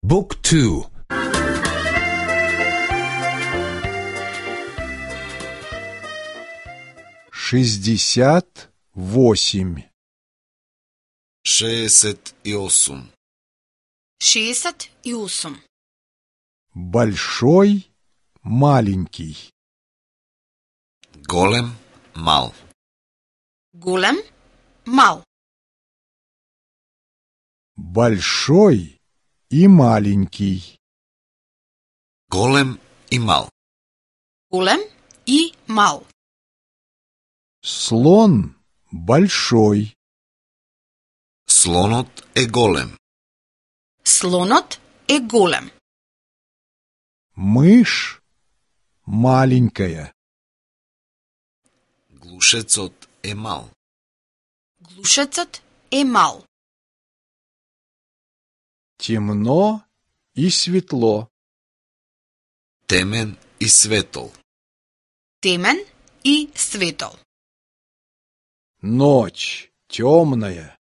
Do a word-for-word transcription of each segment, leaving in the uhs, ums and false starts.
Book two. шестьдесят восемь. шестьдесят осем. шестьдесят осем. Большой, маленький. Голем, мал. Голем, мал. Большой и маленький. Голем и мал. Голем и мал. Слон большой. Слонот е голем. Слонот е голем. Мышь маленькая. Глушецот е мал. Глушецот е мал. Темно и светло. Темен и светол. Темен и светол. Ночь темная.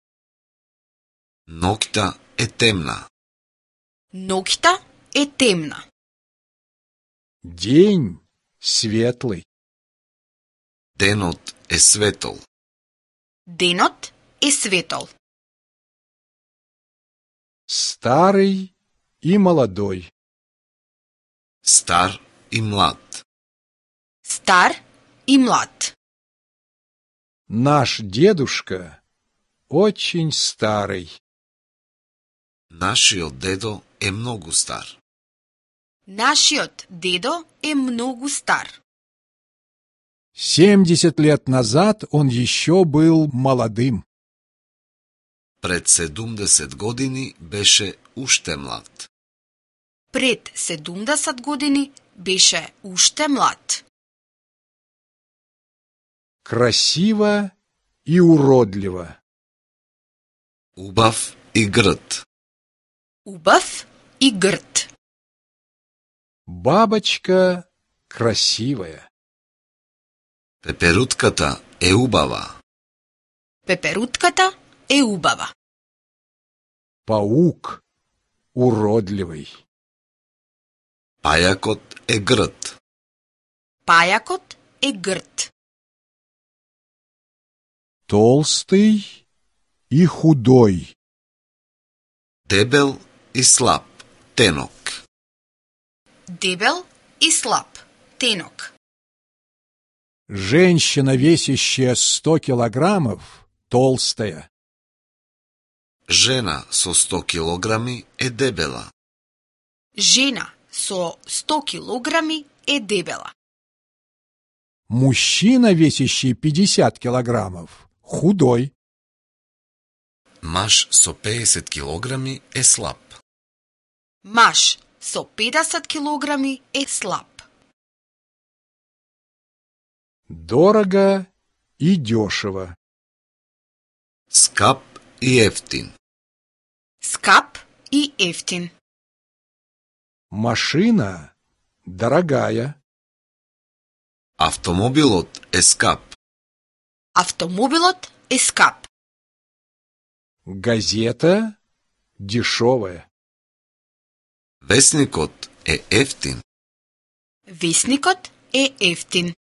Ноќта е темна. Ноќта е темна. День светлый. Денот е светол. Денот е светол. Старый и молодой. Стар и млад. Стар и млад. Наш дедушка очень старый. Нашиот дедо е многу стар. Нашиот дедо е многу стар. Семьдесят лет назад он еще был молодым. Пред седумдесет години беше уште млад. Пред седумдесет години беше уште млад. Красиво и уродливо. Убав и грд. Убав и грд. Бабочка красивая. Пеперутката е убава. Пеперутката е убава. Паук уродливый. Пајакот е грд. Пајакот е грд. Толстый и худой. Дебел и слаб. Тенок. Дебел и слаб. Тенок. Женщина, весящая сто килограммов, толстая. Жена со сто килограми е дебела. Жена со сто килограми е дебела. Мужчина, весящий пятьдесят килограммов, худой. Маж со педесет килограми е слаб. Маж со педесет килограми е слаб. Дорого и дешево. Скап и ефтин. Скап и ефтин. Машина дорогая. Автомобилот е скап. Автомобилот е скап. Газета дешевая. Весникот е ефтин. Весникот е ефтин.